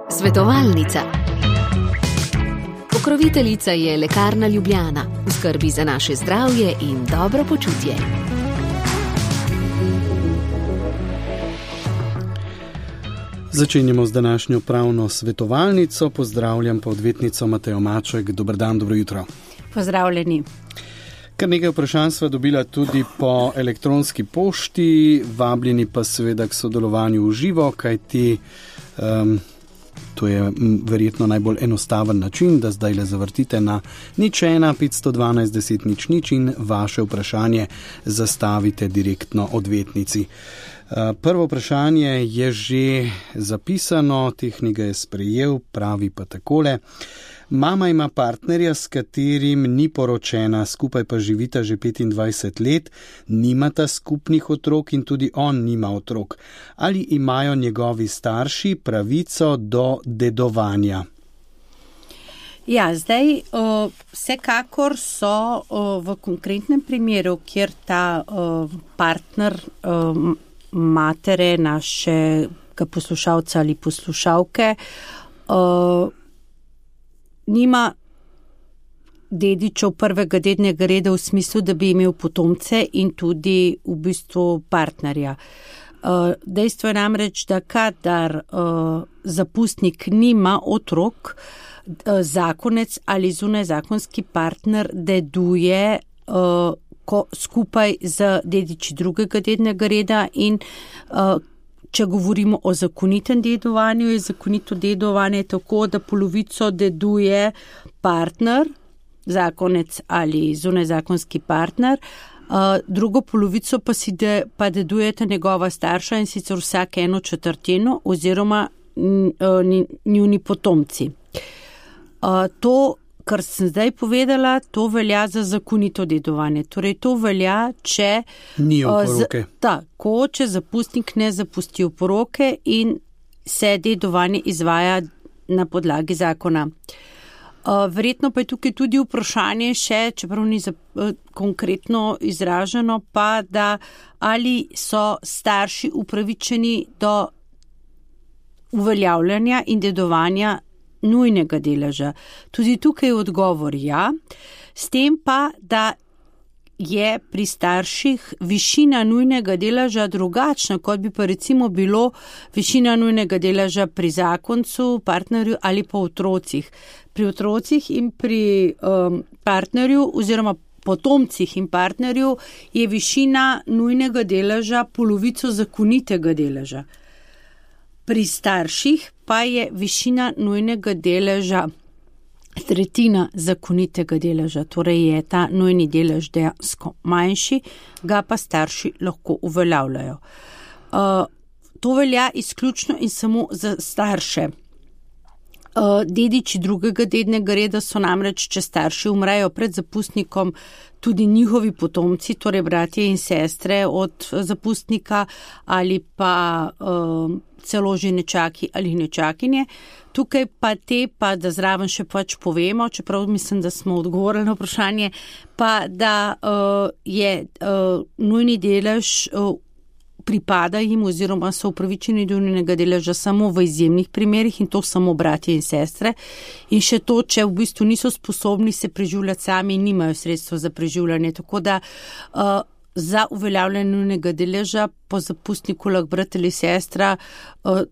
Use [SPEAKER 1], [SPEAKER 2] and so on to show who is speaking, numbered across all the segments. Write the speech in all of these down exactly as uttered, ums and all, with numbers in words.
[SPEAKER 1] Svetovalnica. Pokroviteljica je Lekarna Ljubljana, v skrbi za naše zdravje in dobro počutje.
[SPEAKER 2] Začenjamo z današnjo pravno svetovalnico. Pozdravljam pa odvetnico Matejo Maček. Dober dan, dobro jutro.
[SPEAKER 3] Pozdravljeni.
[SPEAKER 2] Kar nekaj vprašanj sva dobila tudi po elektronski pošti, vabljeni pa seveda k sodelovanju v živo, kajti um, to je verjetno najbolj enostaven način, da zdaj le zavrtite na nič ena petsto dvanajst deset nič nič in vaše vprašanje zastavite direktno odvetnici. Prvo vprašanje je že zapisano, tehnik ga je sprejel, pravi pa takole. Mama ima partnerja, s katerim ni poročena, skupaj pa živita že petindvajset let, nimata skupnih otrok in tudi on nima otrok. Ali imajo njegovi starši pravico do dedovanja?
[SPEAKER 3] Ja, zdaj uh, vsekakor so uh, v konkretnem primeru, kjer ta uh, partner uh, matere našega poslušalca ali poslušalke uh, nima dedičev prvega dednega reda v smislu, da bi imel potomce in tudi v bistvu partnerja. Uh, dejstvo je namreč, da kadar uh, zapustnik nima otrok, uh, zakonec ali zunajzakonski partner deduje uh, ko, skupaj z dediči drugega dednega reda in uh, če govorimo o zakonitem dedovanju, je zakonito dedovanje tako, da polovico deduje partner, zakonec ali zunajzakonski partner, uh, drugo polovico pa si de, pa dedujete njegova starša in sicer vsak eno četrtino oziroma uh, njuni potomci. Uh, to, kar sem zdaj povedala, to velja za zakonito dedovanje. Torej, to velja, če
[SPEAKER 2] ni oporoke.
[SPEAKER 3] Tako, če zapustnik ne zapusti oporoke in se dedovanje izvaja na podlagi zakona. Uh, verjetno pa je tukaj tudi vprašanje še, čeprav ni za, uh, konkretno izraženo, pa da ali so starši upravičeni do uveljavljanja in dedovanja nujnega deleža. Tudi tukaj je odgovor ja, s tem pa, da je pri starših višina nujnega deleža drugačna, kot bi pa recimo bilo višina nujnega deleža pri zakoncu, partnerju ali pa otrocih. Pri otrocih in pri um, partnerju oziroma potomcih in partnerju je višina nujnega deleža polovico zakonitega deleža. Pri starših pa je višina nujnega deleža tretjina zakonitega deleža, torej je ta nujni delež dejansko manjši, ga pa starši lahko uveljavljajo. Uh, to velja izključno in samo za starše. Uh, dediči drugega dednega reda so namreč, če starši umrejo pred zapustnikom, tudi njihovi potomci, torej bratje in sestre od zapustnika ali pa uh, celo že nečaki ali nečakinje. Tukaj pa te, pa da zraven še pač povemo, čeprav mislim, da smo odgovorili na vprašanje, pa da uh, je uh, nujni delež uh, pripada jim oziroma so upravičeni do nujnega deleža samo v izjemnih primerih in to samo bratje in sestre. In še to, če v bistvu niso sposobni se preživljati sami in nimajo sredstva za preživljanje. Tako da uh, za uveljavljanje nujnega deleža po zapustniku lahko brat ali sestra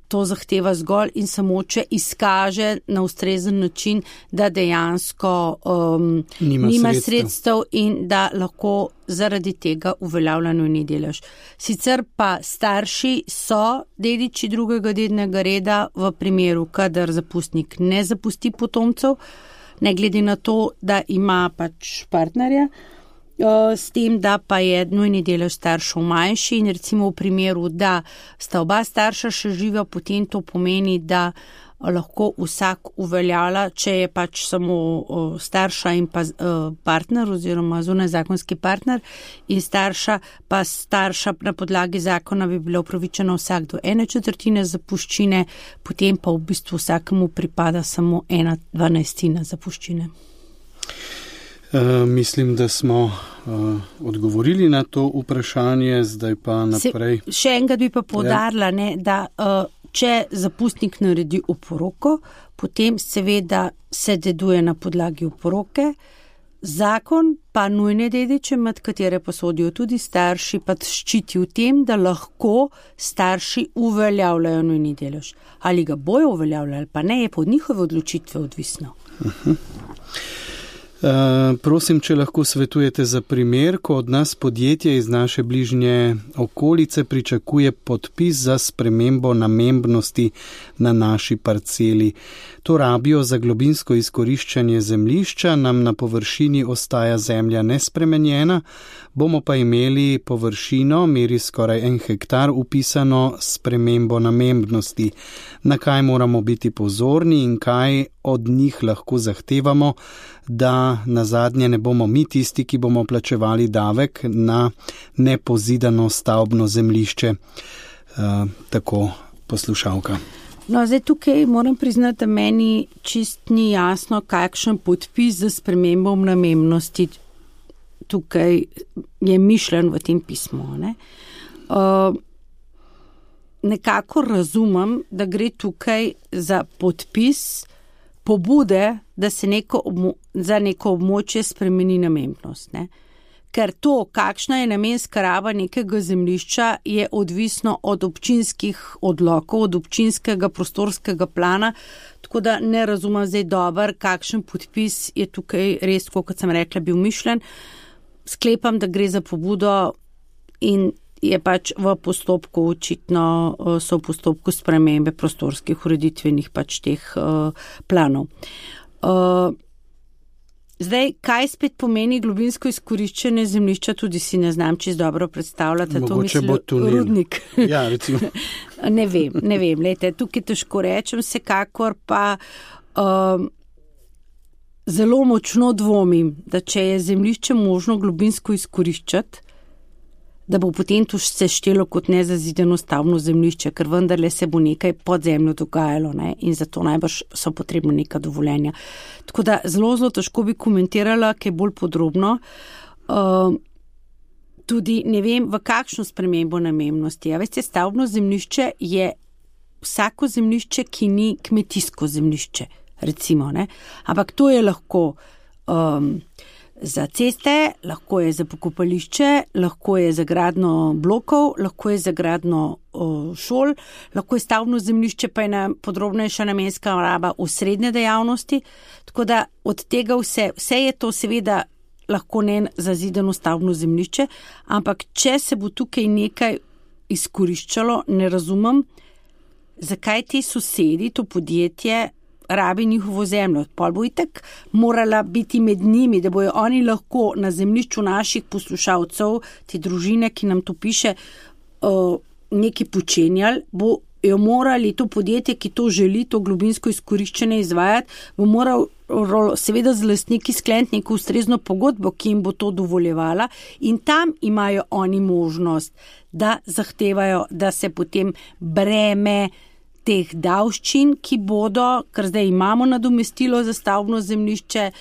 [SPEAKER 3] to zahteva zgolj in samo, če izkaže na ustrezen način, da dejansko um, nima, nima sredstev. sredstev in da lahko zaradi tega uveljavlja nujni delež. Sicer pa starši so dediči drugega dednega reda v primeru, kadar zapustnik ne zapusti potomcev, ne glede na to, da ima pač partnerja, s tem, da pa je nujni delež staršev manjši in recimo v primeru, da sta oba starša še živa, potem to pomeni, da lahko vsak uveljavlja, če je pač samo starša in pa partner oziroma zunajzakonski partner in starša, pa starša na podlagi zakona bi bila upravičena vsak do ene četrtine zapuščine, potem pa v bistvu vsakemu pripada samo ena dvanajstina zapuščine.
[SPEAKER 2] Uh, mislim, da smo uh, odgovorili na to vprašanje, zdaj pa naprej.
[SPEAKER 3] Se, še enkrat bi pa poudarila, ne, da uh, če zapustnik naredi oporoko, potem seveda se deduje na podlagi oporoke. Zakon pa nujne dediče, med katere pa sodijo tudi starši, pa ščiti v tem, da lahko starši uveljavljajo nujni delež. Ali ga bojo uveljavljali, pa ne, je pa od njihove odločitve odvisno.
[SPEAKER 2] Uh-huh. Uh, prosim, če lahko svetujete za primer, ko od nas podjetje iz naše bližnje okolice pričakuje podpis za spremembo namembnosti na naši parceli. To rabijo za globinsko izkoriščanje zemljišča, nam na površini ostaja zemlja nespremenjena, bomo pa imeli površino, meri skoraj en hektar, upisano spremembo namembnosti. Na kaj moramo biti pozorni in kaj od njih lahko zahtevamo, da nazadnje ne bomo mi tisti, ki bomo plačevali davek na nepozidano stavbno zemljišče. Uh, tako poslušalka.
[SPEAKER 3] No, zdaj tukaj moram priznati, da meni čist ni jasno, kakšen podpis za spremembo namembnosti tukaj je mišljen v tem pismu. Ne? Uh, nekako razumem, da gre tukaj za podpis pobude, da se neko obmo- za neko območje spremeni namembnost. Ne? Ker to, kakšna je namenska raba nekega zemljišča, je odvisno od občinskih odlokov, od občinskega prostorskega plana, tako da ne razumem zdaj dober, kakšen podpis je tukaj res, kot sem rekla, bil mišljen. Sklepam, da gre za pobudo in je pač v postopku, očitno so v postopku spremembe prostorskih ureditvenih pač teh uh, planov. Uh, Zdaj, kaj spet pomeni globinsko izkoriščenje zemljišča, tudi si ne znam čisto dobro predstavljati.
[SPEAKER 2] Mogoče bo tunel.
[SPEAKER 3] Rudnik.
[SPEAKER 2] Ja, recimo.
[SPEAKER 3] ne vem, ne vem. Lejte, tukaj težko rečem, vsekakor pa um, zelo močno dvomim, da če je zemljišče možno globinsko izkoriščati, da bo potem to se štelo kot nezazideno stavbno zemljišče, ker vendarle se bo nekaj pod zemljo dogajalo, ne? In zato najbrž so potrebno neka dovoljenja. Tako da zelo, zelo težko bi komentirala, kaj bolj podrobno. Uh, tudi ne vem, v kakšno spremembo namembnosti. Ja, veste, stavbno zemljišče je vsako zemljišče, ki ni kmetijsko zemljišče, recimo, ne? Ampak to je lahko um, za ceste, lahko je za pokopališče, lahko je za gradnjo blokov, lahko je za gradnjo o, šol, lahko je stavbno zemljišče, pa je na podrobnejša namenska raba osrednje dejavnosti. Tako da od tega vse, vse je to seveda lahko ne zazidano stavbno zemljišče, ampak če se bo tukaj nekaj izkoriščalo, ne razumem, zakaj ti sosedi, to podjetje, rabi njihovo zemljo. Pol bo itak morala biti med njimi, da bojo oni lahko na zemljišču naših poslušalcev, te družine, ki nam to piše, nekaj počenjali, bo jo morali to podjetje, ki to želi, to globinsko izkoriščenje izvajati, bo moral seveda z lastniki skleniti neko ustrezno pogodbo, ki jim bo to dovoljevala, in tam imajo oni možnost, da zahtevajo, da se potem breme teh davščin, ki bodo, ker zdaj imamo nadomestilo za stavbno zemljišče,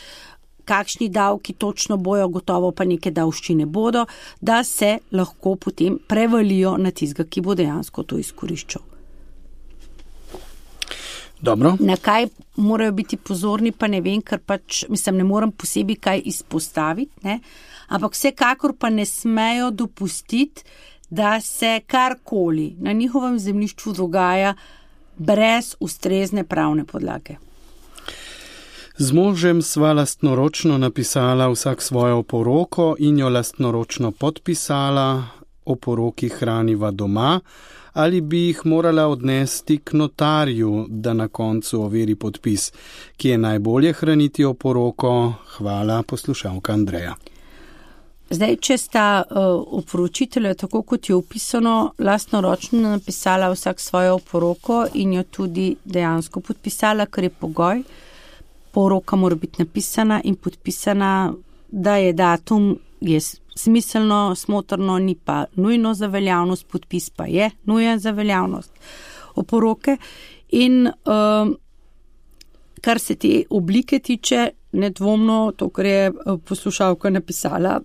[SPEAKER 3] kakšni davki točno bojo, gotovo pa neke davščine bodo, da se lahko potem prevalijo na tistega, ki bo dejansko to izkoriščal.
[SPEAKER 2] Dobro.
[SPEAKER 3] Na kaj morajo biti pozorni, pa ne vem, ker pač, mislim, ne moram posebej kaj izpostaviti, ne? Ampak vsekakor pa ne smejo dopustiti, da se karkoli na njihovem zemljišču dogaja brez ustrezne pravne podlage.
[SPEAKER 2] Z možem sva lastnoročno napisala vsak svojo oporoko in jo lastnoročno podpisala, oporoki hraniva doma, ali bi jih morala odnesti k notarju, da na koncu overi podpis, ki je najbolje hraniti oporoko. Hvala, poslušalka Andreja.
[SPEAKER 3] Zdaj, če sta uh, oporočitelja, tako kot je opisano, lastnoročno napisala vsak svojo oporoko in jo tudi dejansko podpisala, kar je pogoj. Poroka mora biti napisana in podpisana, da je datum je smiselno, smotrno, ni pa nujno za veljavnost, podpis pa je nujen za veljavnost oporoke. In uh, kar se te oblike tiče, nedvomno, to, kar je poslušalka napisala,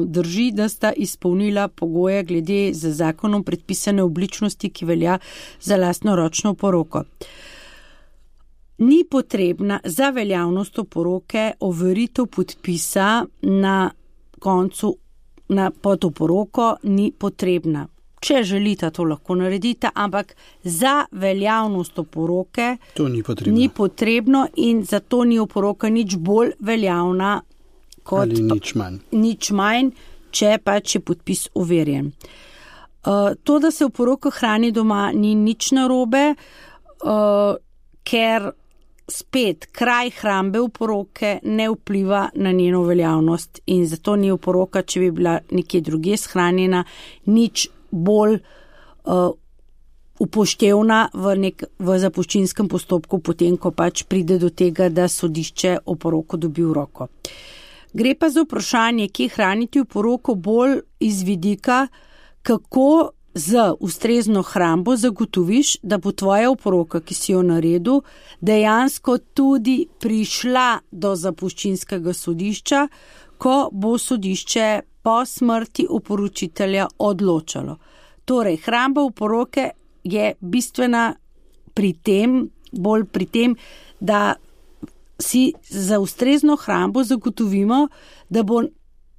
[SPEAKER 3] drži, da sta izpolnila pogoje glede za zakonom predpisane obličnosti, ki velja za lastnoročno oporoko. Ni potrebna za veljavnost oporoke overitev podpisa na koncu na pod oporoko, ni potrebna. Če želite, to lahko naredite, ampak za veljavnost oporoke
[SPEAKER 2] to ni potrebno.
[SPEAKER 3] ni potrebno in zato ni oporoka nič bolj veljavna kot
[SPEAKER 2] ali nič manj.
[SPEAKER 3] Nič manj, če pač je podpis overjen. Uh, to, da se oporoka hrani doma, ni nič narobe, uh, ker spet kraj hrambe oporoke ne vpliva na njeno veljavnost in zato ni oporoka, če bi bila nekje drugje shranjena, nič bolj uh, upoštevna v, nek, v zapuščinskem postopku, potem, ko pač pride do tega, da sodišče oporoko dobi v roko. Gre pa za vprašanje, kje hraniti oporoko bolj iz vidika, kako z ustrezno hrambo zagotoviš, da bo tvoja oporoka, ki si jo naredil, dejansko tudi prišla do zapuščinskega sodišča, ko bo sodišče po smrti oporočitelja odločalo. Torej, hramba oporoke je bistvena pri tem, bolj pri tem, da si za ustrezno hrambo zagotovimo, da bo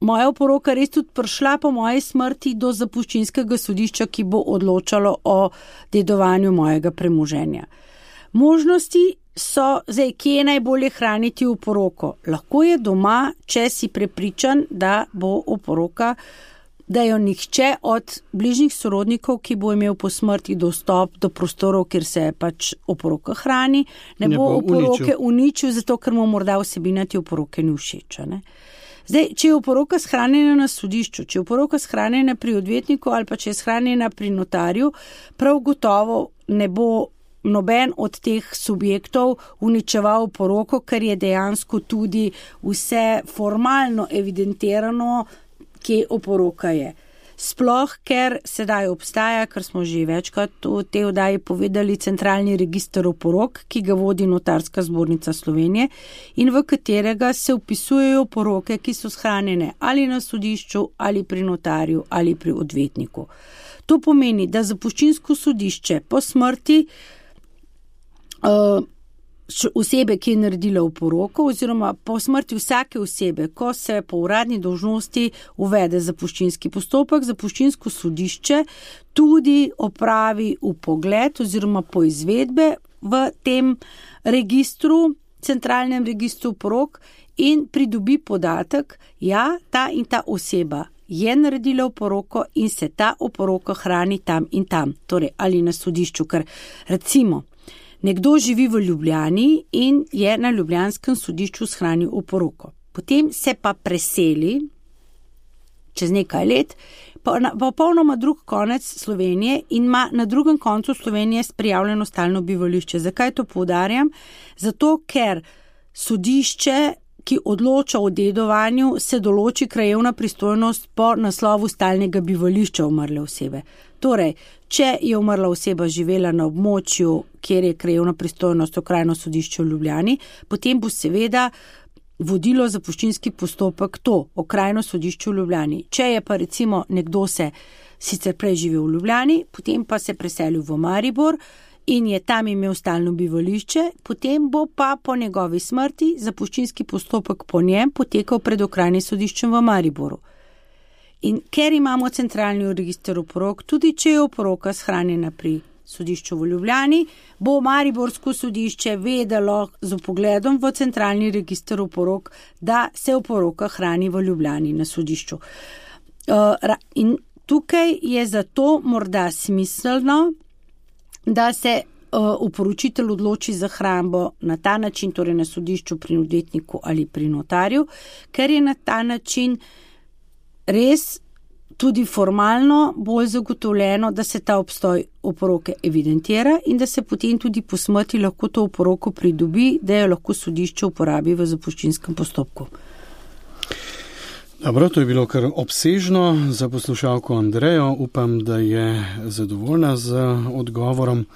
[SPEAKER 3] moja oporoka res tudi prišla po moji smrti do zapuščinskega sodišča, ki bo odločalo o dedovanju mojega premoženja. Možnosti so, zdaj, kje je najbolje hraniti oporoko? Lahko je doma, če si prepričan, da bo oporoka, da jo nihče od bližnjih sorodnikov, ki bo imel po smrti dostop do prostorov, kjer se pač oporoka hrani, ne, ne bo oporoke uničil. uničil, zato ker mu morda vsebina te oporoke ni všeč. Ne? Zdaj, če je oporoka shranjena na sodišču, če je oporoka shranjena pri odvetniku ali pa če je shranjena pri notarju, prav gotovo ne bo noben od teh subjektov uničeval oporoko, ker je dejansko tudi vse formalno evidentirano, kje oporoka je. Sploh, ker sedaj obstaja, kar smo že večkrat v tej oddaji povedali, centralni register oporok, ki ga vodi Notarska zbornica Slovenije in v katerega se vpisujejo oporoke, ki so shranjene ali na sodišču, ali pri notarju, ali pri odvetniku. To pomeni, da zapuščinsko sodišče po smrti uh, osebe, ki je naredila oporoko, oziroma po smrti vsake osebe, ko se po uradni dolžnosti uvede zapuščinski postopek, zapuščinsko sodišče tudi opravi vpogled oziroma poizvedbe v tem registru, centralnem registru oporok in pridobi podatek, ja, ta in ta oseba je naredila oporoko in se ta oporoka hrani tam in tam, torej ali na sodišču, ker recimo nekdo živi v Ljubljani in je na ljubljanskem sodišču shranil oporoko. Potem se pa preseli čez nekaj let, pa na popolnoma drug konec Slovenije in ima na drugem koncu Slovenije prijavljeno stalno bivališče. Zakaj to poudarjam? Zato, ker sodišče, ki odloča o dedovanju, se določi krajevna pristojnost po naslovu stalnega bivališča umrle osebe. Torej, če je umrla oseba živela na območju, kjer je krajevna pristojnost okrajno sodišče v Ljubljani, potem bo seveda vodilo zapuščinski postopek to okrajno sodišče v Ljubljani. Če je pa recimo nekdo se sicer prej živel v Ljubljani, potem pa se preselil v Maribor in je tam imel stalno bivališče, potem bo pa po njegovi smrti zapuščinski postopek po njem potekal pred okrajnim sodiščem v Mariboru. In ker imamo centralni register oporok, tudi če je oporoka shranjena pri sodišču v Ljubljani, bo mariborsko sodišče vedelo z vpogledom v centralni register oporok, da se oporoka hrani v Ljubljani na sodišču. In tukaj je zato morda smiselno, da se oporočitelj odloči za hrambo na ta način, torej na sodišču, pri odvetniku ali pri notarju, ker je na ta način res tudi formalno bolj zagotovljeno, da se ta obstoj oporoke evidentira in da se potem tudi po smrti lahko to oporoko pridobi, da jo lahko sodišče uporabi v zapuščinskem postopku.
[SPEAKER 2] Dobro, to je bilo kar obsežno za poslušalko Andrejo. Upam, da je zadovoljna z odgovorom.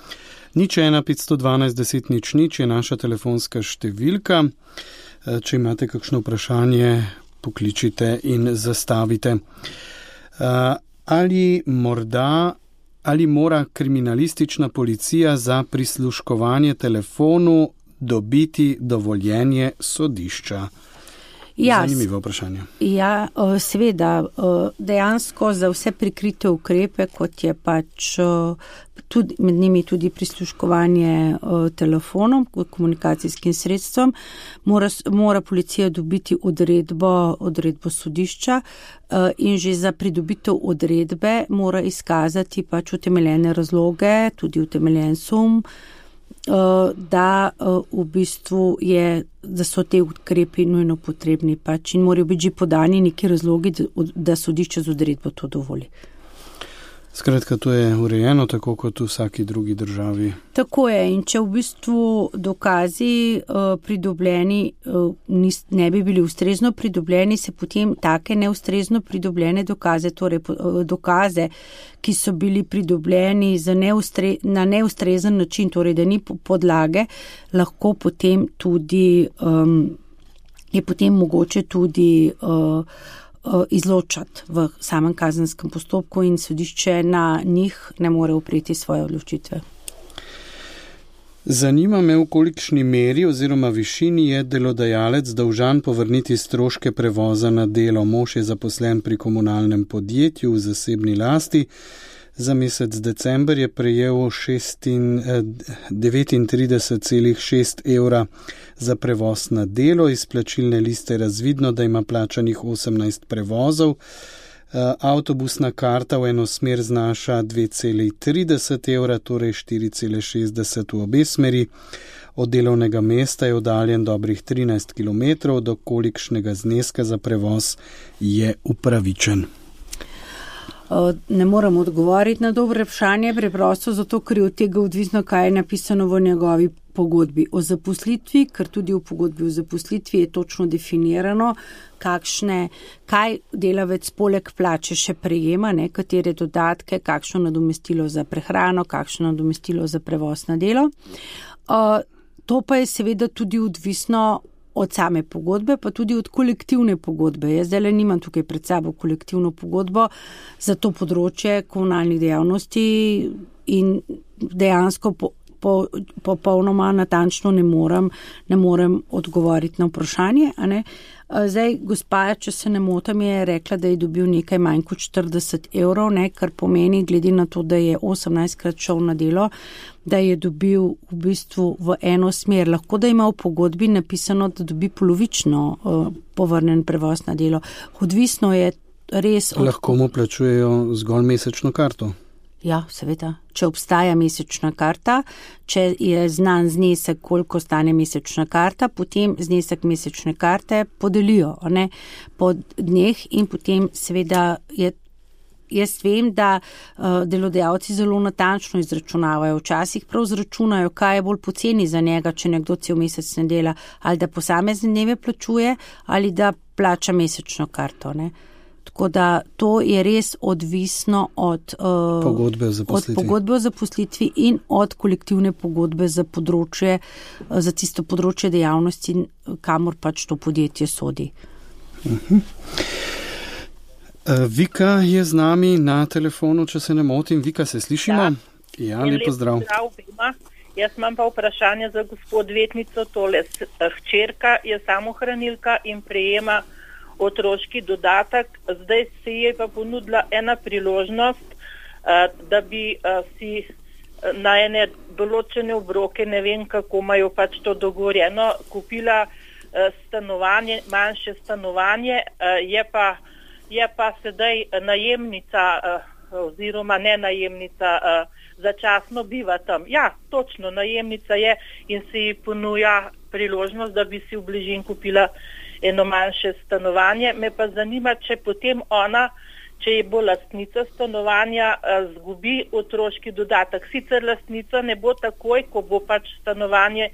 [SPEAKER 2] Nič ena petsto dvanajst deset nič nič je naša telefonska številka. Če imate kakšno vprašanje, pokličite in zastavite. Uh, ali morda, ali mora kriminalistična policija za prisluškovanje telefonu dobiti dovoljenje sodišča?
[SPEAKER 3] Ja,
[SPEAKER 2] zanimivo vprašanje.
[SPEAKER 3] Ja, seveda, dejansko za vse prikrite ukrepe, kot je pač tudi, med njimi tudi prisluškovanje telefonom, komunikacijskim sredstvom, mora, mora policija dobiti odredbo, odredbo sodišča in že za pridobitev odredbe mora izkazati pač utemeljene razloge, tudi utemeljen sum, da v bistvu je, da so te ukrepi nujno potrebni pač in morajo biti že podani neki razlogi, da sodišče z odredbo to dovoli.
[SPEAKER 2] Skratka, to je urejeno tako kot v vsaki drugi državi.
[SPEAKER 3] Tako je, in če v bistvu dokazi uh, pridobljeni uh, nis, ne bi bili ustrezno pridobljeni, se potem take neustrezno pridobljene dokaze, torej uh, dokaze, ki so bili pridobljeni za neustre, na neustrezen način, torej da ni podlage, lahko potem tudi, um, je potem mogoče tudi uh, izločati v samem kazenskem postopku in sodišče na njih ne more upreti svoje odločitve.
[SPEAKER 2] Zanima me, v kolikšni meri oziroma višini je delodajalec dolžan povrniti stroške prevoza na delo. Mož je zaposlen pri komunalnem podjetju v zasebni lasti. Za mesec december je prejel devetintrideset celih šest evra za prevoz na delo. Iz plačilne liste je razvidno, da ima plačanih osemnajst prevozov. Avtobusna karta v eno smer znaša dve celih trideset evra, torej štiri celih šestdeset v obe smeri. Od delovnega mesta je oddaljen dobrih trinajst kilometrov, do kolikšnega zneska za prevoz je upravičen.
[SPEAKER 3] Ne moram odgovoriti na dobro vprašanje, preprosto zato, ker je od tega odvisno, kaj je napisano v njegovi pogodbi o zaposlitvi, ker tudi v pogodbi o zaposlitvi je točno definirano, kakšne, kaj delavec poleg plače še prejema, ne, katere dodatke, kakšno nadomestilo za prehrano, kakšno nadomestilo za prevoz na delo. Uh, to pa je seveda tudi odvisno od same pogodbe, pa tudi od kolektivne pogodbe. Jaz zdaj le nimam tukaj pred sabo kolektivno pogodbo za to področje komunalnih dejavnosti in dejansko po, po, popolnoma natančno ne morem, ne morem odgovoriti na vprašanje. A ne? Zdaj, gospa, če se ne motam, je rekla, da je dobil nekaj manj kot štirideset evrov, ne, kar pomeni, glede na to, da je osemnajstkrat šel na delo, da je dobil v bistvu v eno smer. Lahko da ima v pogodbi napisano, da dobi polovično uh, povrnen prevoz na delo. Odvisno je res... Od...
[SPEAKER 2] Lahko mu plačujejo zgolj mesečno karto?
[SPEAKER 3] Ja, seveda. Če obstaja mesečna karta, če je znan znesek, koliko stane mesečna karta, potem znesek mesečne karte podelijo, ne, po dneh in potem seveda je. Jaz vem, da uh, delodajalci zelo natančno izračunavajo. Včasih prav izračunajo, kaj je bolj poceni za njega, če nekdo cel mesec ne dela, ali da posamezne dneve plačuje, ali da plača mesečno karto. Ne. Tako da to je res odvisno od, uh,
[SPEAKER 2] pogodbe
[SPEAKER 3] od pogodbe o zaposlitvi in od kolektivne pogodbe za področje, uh, za tisto področje dejavnosti, kamor pač to podjetje sodi.
[SPEAKER 2] Uh-huh. Vika je z nami na telefonu, če se ne motim. Vika, se slišimo?
[SPEAKER 4] Ja,
[SPEAKER 2] ja lep pozdrav.
[SPEAKER 4] Jaz imam pa vprašanje za gospod odvetnico. Tole hčerka je samohranilka in prejema otroški dodatek. Zdaj se je pa ponudila ena priložnost, da bi si na ene določene obroke, ne vem kako imajo pač to dogovorjeno, kupila stanovanje, manjše stanovanje, je pa je pa sedaj najemnica oziroma ne najemnica, začasno biva tam. Ja, točno, najemnica je in se ji ponuja priložnost, da bi si v bližini kupila eno manjše stanovanje. Me pa zanima, če potem ona, če je bo lastnica stanovanja, zgubi otroški dodatek. Sicer lastnica ne bo takoj, ko bo pač stanovanje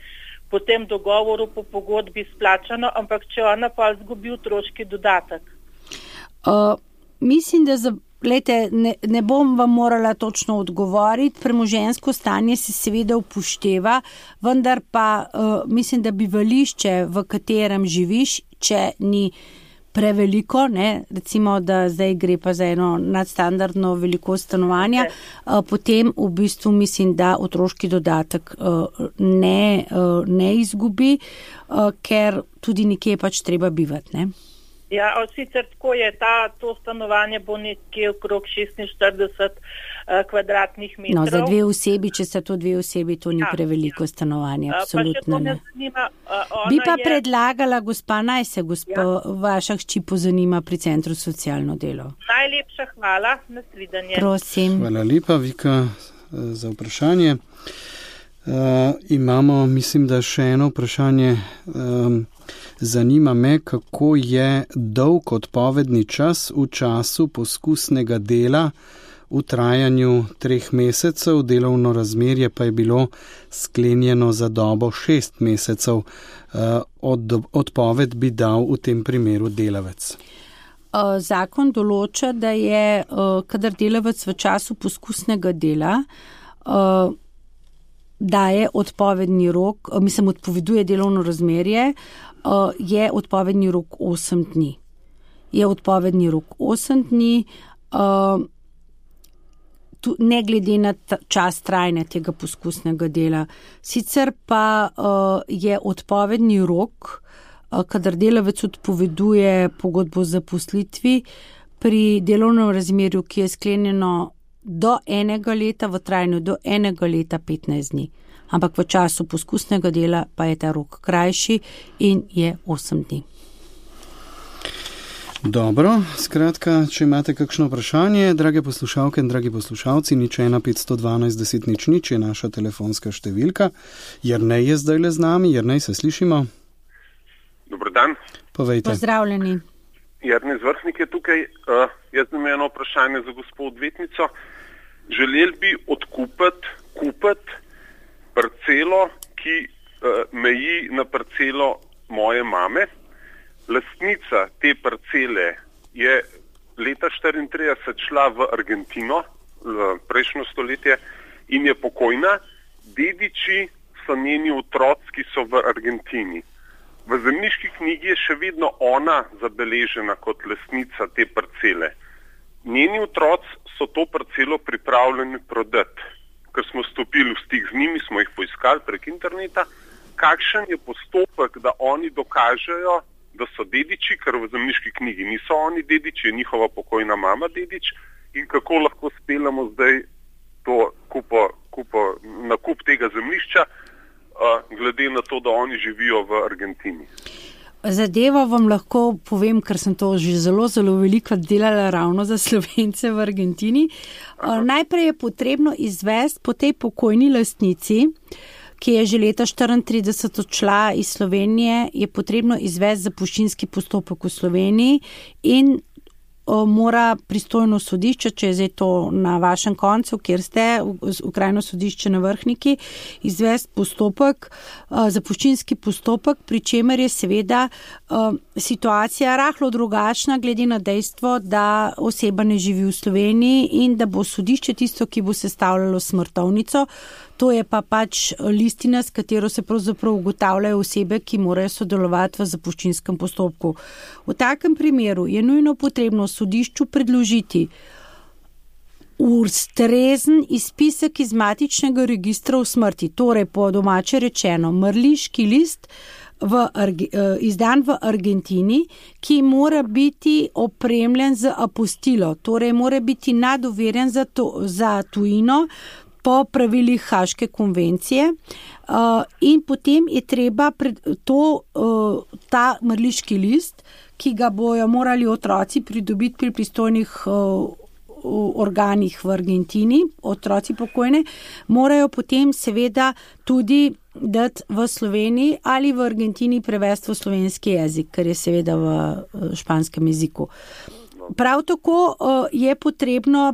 [SPEAKER 4] po tem dogovoru, po pogodbi splačano, ampak če ona pa zgubi otroški dodatek.
[SPEAKER 3] Uh, mislim, da za, lejte, ne, ne bom vam morala točno odgovoriti. Premoženjsko stanje se seveda upošteva, vendar pa uh, mislim, da bivališče, v katerem živiš, če ni preveliko, ne, recimo, da zdaj gre pa za eno nadstandardno velikost stanovanja, okay. Potem v bistvu mislim, da otroški dodatek ne, ne izgubi, ker tudi nekje pač treba bivati, ne.
[SPEAKER 4] Ja, sicer tako je, ta, to stanovanje bo nekje okrog šestinštirideset uh, kvadratnih metrov.
[SPEAKER 3] No, za dve osebi, če se to dve osebi, to ni ja, preveliko ja. stanovanje, absolutno ne.
[SPEAKER 4] Zanima, uh,
[SPEAKER 3] Bi pa
[SPEAKER 4] je...
[SPEAKER 3] predlagala, gospa, naj se gospa ja. vaša hči pozanima pri Centru socialno delo.
[SPEAKER 4] Najlepša hvala, nasvidenje.
[SPEAKER 3] Prosim.
[SPEAKER 2] Hvala lepa, Vika, za vprašanje. Uh, imamo, mislim, da še eno vprašanje. Um, Zanima me, kako je dolg odpovedni čas v času poskusnega dela v trajanju treh mesecev, delovno razmerje pa je bilo sklenjeno za dobo šest mesecev. Od, odpoved bi dal v tem primeru delavec.
[SPEAKER 3] Zakon določa, da je, kadar delavec v času poskusnega dela daje odpovedni rok, mislim, odpoveduje delovno razmerje, je odpovedni rok osem dni. Je odpovedni rok osem dni, ne glede na čas trajanja tega poskusnega dela. Sicer pa je odpovedni rok, kadar delavec odpoveduje pogodbo o zaposlitvi pri delovnem razmerju, ki je sklenjeno do enega leta, v trajanju do enega leta petnajst dni. Ampak v času poskusnega dela pa je ta rok krajši in je osem dni.
[SPEAKER 2] Dobro, skratka, če imate kakšno vprašanje, drage poslušalke in dragi poslušalci, nič ena petsto dvanajst deset nič nič je naša telefonska številka. Jernej je zdaj le z nami. Jernej, se slišimo?
[SPEAKER 5] Dobar dan.
[SPEAKER 2] Povejte.
[SPEAKER 3] Pozdravljeni.
[SPEAKER 5] Jernej Zvršnik je tukaj. Uh, jaz imam eno vprašanje za gospod odvetnico. Želel bi odkupiti, kupiti parcelo, ki uh, meji na parcelo moje mame. Lastnica te parcele je leta štiriintrideset šla v Argentino, v prejšnjo stoletje, in je pokojna. Dediči so njeni otroci, ki so v Argentini. V zemljiški knjigi je še vedno ona zabeležena kot lastnica te parcele. Njeni otroci so to parcelo pripravljeni prodati. Ker smo stopili v stik z njimi, smo jih poiskali prek interneta, kakšen je postopek, da oni dokažejo, da so dediči, ker v zemljiški knjigi niso oni dediči, je njihova pokojna mama dedič, in kako lahko speljamo zdaj to kupo, kupo, nakup tega zemljišča, uh, glede na to, da oni živijo v Argentini.
[SPEAKER 3] Zadevo vam lahko povem, ker sem to že zelo, zelo veliko delala ravno za Slovence v Argentini. Aha. Najprej je potrebno izvesti po tej pokojni lastnici, ki je že leta štiriintrideset odšla iz Slovenije, je potrebno izvesti zapuščinski postopek v Sloveniji in mora pristojno sodišče, če je zdaj to na vašem koncu, kjer ste, okrajno sodišče na Vrhniki, izvesti postopek, zapuščinski postopek, pri čemer je seveda situacija rahlo drugačna, glede na dejstvo, da oseba ne živi v Sloveniji in da bo sodišče tisto, ki bo sestavljalo smrtovnico. To je pa pač listina, s katero se pravzaprav ugotavljajo osebe, ki morajo sodelovati v zapuščinskem postopku. V takem primeru je nujno potrebno sodišču predložiti ustrezen izpisek iz matičnega registra v smrti, torej po domače rečeno mrliški list v, izdan v Argentini, ki mora biti opremljen z apostilo, torej mora biti nadoverjen za, to, za tujino, po pravilih Haške konvencije uh, in potem je treba pred, to, uh, ta mrliški list, ki ga bojo morali otroci pridobiti pri pristojnih uh, organih v Argentini, otroci pokojne, morajo potem seveda tudi dati v Sloveniji ali v Argentini prevesti v slovenski jezik, ker je seveda v španskem jeziku. Prav tako uh, je potrebno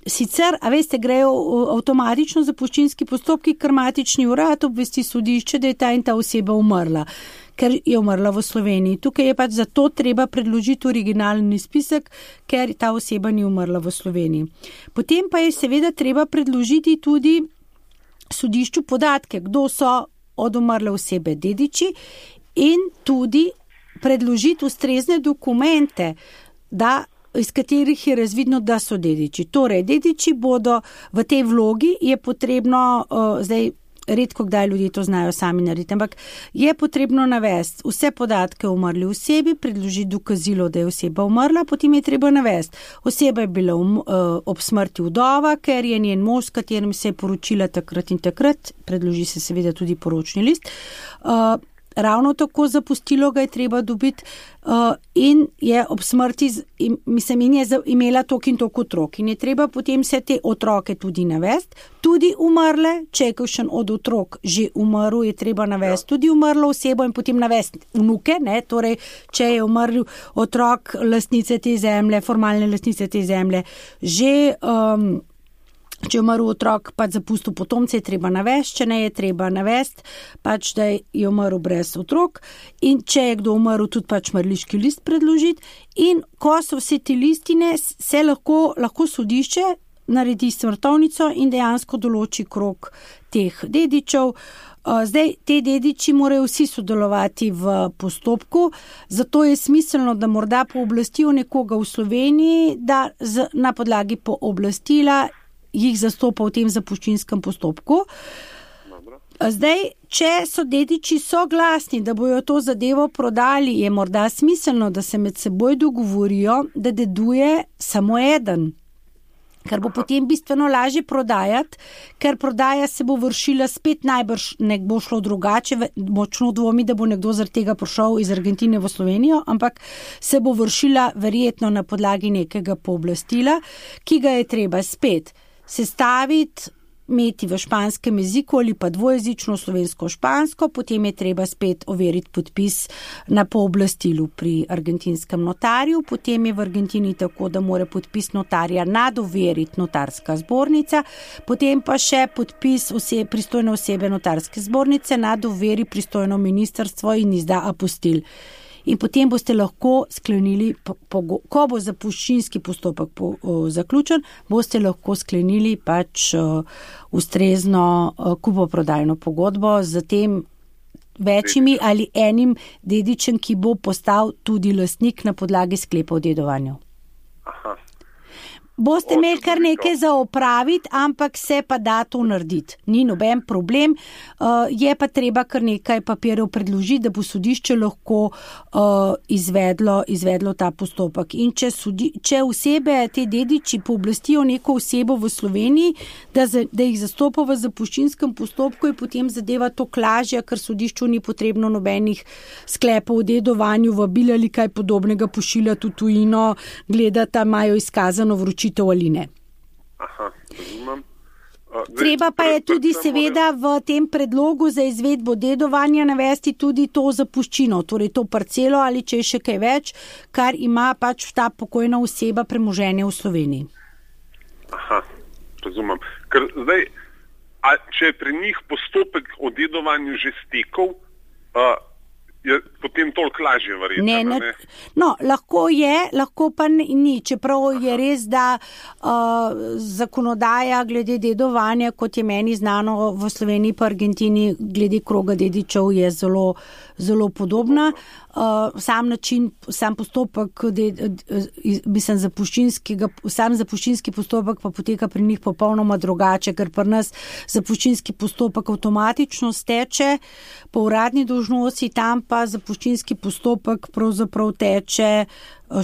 [SPEAKER 3] sicer, a veste, grejo avtomatično zapuščinski postopki, ker matični urad obvesti sodišče, da je ta in ta oseba umrla, ker je umrla v Sloveniji. Tukaj je pač zato treba predložiti originalni spisek, ker ta oseba ni umrla v Sloveniji. Potem pa je seveda treba predložiti tudi sodišču podatke, kdo so od umrle osebe dediči in tudi predložiti ustrezne dokumente, da, iz katerih je razvidno, da so dediči. Torej, dediči bodo v tej vlogi, je potrebno, uh, zdaj redko kdaj ljudje to znajo sami narediti, ampak je potrebno navesti vse podatke o umrli osebi, predložiti dokazilo, da je oseba umrla, potem je treba navesti. Oseba je bila um, uh, ob smrti vdova, ker je njen mož, s katerim se je poročila takrat in takrat, predloži se seveda tudi poročni list. Uh, Ravno tako zapustilo ga je treba dobiti uh, in je ob smrti, in, mislim, in je imela tok in tok otrok. In je treba potem vse te otroke tudi navesti, tudi umrle, če je kakšen od otrok že umrl, je treba navesti tudi umrlo osebo in potem navesti vnuke, ne? Torej, če je umrl otrok lastnice te zemlje, formalne lastnice te zemlje, že... Um, Če je umrl otrok, pač zapustil potomce, je treba navesti, če ne je treba navesti, pač da je umrl brez otrok in če je kdo umrl, tudi pač mrliški list predložiti in ko so vse te listine, se lahko, lahko sodišče naredi smrtovnico in dejansko določi krog teh dedičev. Zdaj, te dediči morajo vsi sodelovati v postopku, zato je smiselno, da morda pooblastijo nekoga v Sloveniji, da z, na podlagi pooblastila jih zastopa v tem zapuščinskem postopku. Zdaj, če so dediči soglasni, da bojo to zadevo prodali, je morda smiselno, da se med seboj dogovorijo, da deduje samo eden. Kar bo potem bistveno lažje prodajati, ker prodaja se bo vršila spet najbrž, ne bo šlo drugače, močno dvomi, da bo nekdo zaradi tega prišel iz Argentine v Slovenijo, ampak se bo vršila verjetno na podlagi nekega pooblastila, ki ga je treba spet sestaviti, imeti v španskem jeziku ali pa dvojezično slovensko-špansko, potem je treba spet overiti podpis na pooblastilu pri argentinskem notarju, potem je v Argentini tako, da mora podpis notarja nadoveriti notarska zbornica, potem pa še podpis vse, pristojne osebe notarske zbornice nadoveri pristojno ministrstvo in izda apostil. In potem boste lahko sklenili, ko bo zapuščinski postopek po, o, zaključen, boste lahko sklenili pač o, ustrezno o, kupoprodajno pogodbo z tem večjimi ali enim dedičem, ki bo postal tudi lastnik na podlagi sklepa o dedovanju.
[SPEAKER 5] Aha.
[SPEAKER 3] Boste imeli kar nekaj za opraviti, ampak se pa da to narediti. Ni noben problem, uh, je pa treba kar nekaj papirjev predložiti, da bo sodišče lahko uh, izvedlo, izvedlo ta postopek. In če, sudi, če osebe, te dediči pooblastijo neko osebo v Sloveniji, da, za, da jih zastopa v zapuščinskem postopku, je potem zadeva to lažja, ker sodišču ni potrebno nobenih sklepov o dedovanju, vabil ali kaj podobnega pošiljati v tujino, gledati, imajo izkazano vročitev ali ne.
[SPEAKER 5] Aha, razumem.
[SPEAKER 3] Treba pa je tudi seveda v tem predlogu za izvedbo dedovanja navesti tudi to zapuščino, torej to parcelo ali če je še kaj več, kar ima pač ta pokojna oseba premoženje v Sloveniji.
[SPEAKER 5] Aha, razumem. Ker zdaj, a če je pri njih postopek o dedovanju že stekal, a, je potem toliko lažje verjetno,
[SPEAKER 3] ne, ne,
[SPEAKER 5] ne?
[SPEAKER 3] No, lahko je, lahko pa ni, čeprav je res, da uh, zakonodaja glede dedovanja, kot je meni znano v Sloveniji pa Argentini, glede kroga dedičev je zelo, zelo podobna. Uh, sam način, sam postopek, de, mislim, zapuščinskega, sam zapuščinski postopek pa poteka pri njih popolnoma drugače, ker pri nas zapuščinski postopek avtomatično steče po uradni dolžnosti, tam pa zapuščinski postopek pravzaprav teče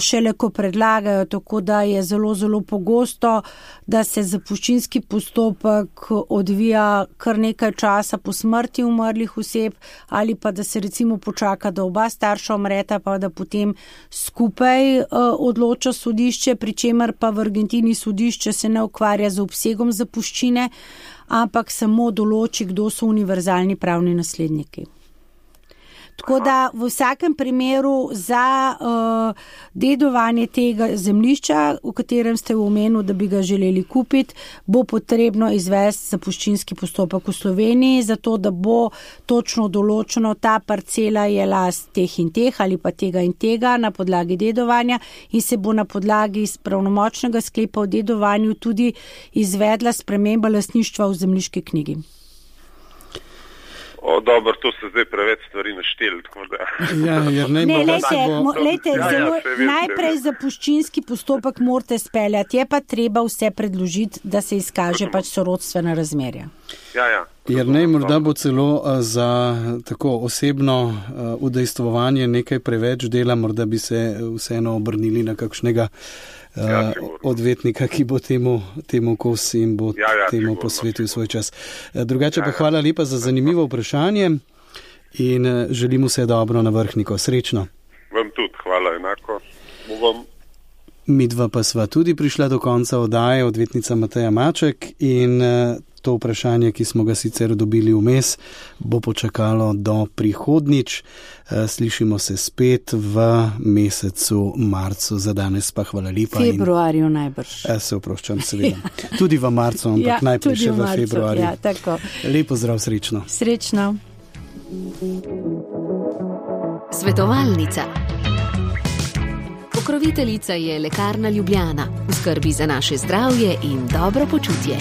[SPEAKER 3] šele ko predlagajo, tako da je zelo, zelo pogosto, da se zapuščinski postopek odvija kar nekaj časa po smrti umrlih oseb ali pa da se recimo počaka, da oba starša umreta, pa da potem skupaj uh, odloča sodišče, pri čemer pa v Argentini sodišče se ne ukvarja z obsegom zapuščine, ampak samo določi, kdo so univerzalni pravni nasledniki. Tako da v vsakem primeru za uh, dedovanje tega zemljišča, v katerem ste omenili, da bi ga želeli kupiti, bo potrebno izvesti zapuščinski postopek v Sloveniji, zato da bo točno določeno, ta parcela je last teh in teh ali pa tega in tega na podlagi dedovanja in se bo na podlagi pravnomočnega sklepa o dedovanju tudi izvedla sprememba lastništva v zemljiški knjigi.
[SPEAKER 5] O, dobro, to se zdaj preveč stvari našteli.
[SPEAKER 2] Ja, jer ne,
[SPEAKER 3] ne,
[SPEAKER 2] bo,
[SPEAKER 3] lejte,
[SPEAKER 2] bo...
[SPEAKER 3] mo, lejte,
[SPEAKER 5] Ja, ja,
[SPEAKER 3] zelo,
[SPEAKER 5] se vem,
[SPEAKER 3] najprej
[SPEAKER 5] se vem.
[SPEAKER 3] zapuščinski postopek morate speljati, je pa treba vse predložiti, da se izkaže pač sorodstvena razmerja.
[SPEAKER 5] Ja, ja.
[SPEAKER 2] Jer ne, morda bo celo uh, za tako osebno uh, udejstvovanje nekaj preveč dela, morda bi se vseeno obrnili na kakšnega uh,
[SPEAKER 5] Ja,
[SPEAKER 2] odvetnika, ki bo temu, temu kos in bo
[SPEAKER 5] Ja, ja,
[SPEAKER 2] temu
[SPEAKER 5] sigurno,
[SPEAKER 2] posvetil
[SPEAKER 5] sigurno.
[SPEAKER 2] svoj čas. Uh, drugače
[SPEAKER 5] Ja,
[SPEAKER 2] pa
[SPEAKER 5] ja.
[SPEAKER 2] hvala lepa za zanimivo vprašanje in uh, želim vse dobro na Vrhniko. Srečno.
[SPEAKER 5] Vam tudi, hvala enako. Bovam.
[SPEAKER 2] Midva pa sva tudi prišla do konca oddaje, odvetnica Mateja Maček, in uh, to vprašanje, ki smo ga sicer dobili vmes, bo počakalo do prihodnič. Uh, slišimo se spet v mesecu marcu. Za danes pa hvala lepa.
[SPEAKER 3] Februarju najbrž.
[SPEAKER 2] In, uh, se oproščam, seveda. Tudi v marcu, ampak
[SPEAKER 3] Ja,
[SPEAKER 2] najprej
[SPEAKER 3] tudi
[SPEAKER 2] še
[SPEAKER 3] v
[SPEAKER 2] v
[SPEAKER 3] marcu,
[SPEAKER 2] februarju.
[SPEAKER 3] ja, tako.
[SPEAKER 2] Lepo zdrav, srečno.
[SPEAKER 3] Srečno.
[SPEAKER 1] Svetovalnica. Pokroviteljica je Lekarna Ljubljana. V skrbi za naše zdravje in dobro počutje.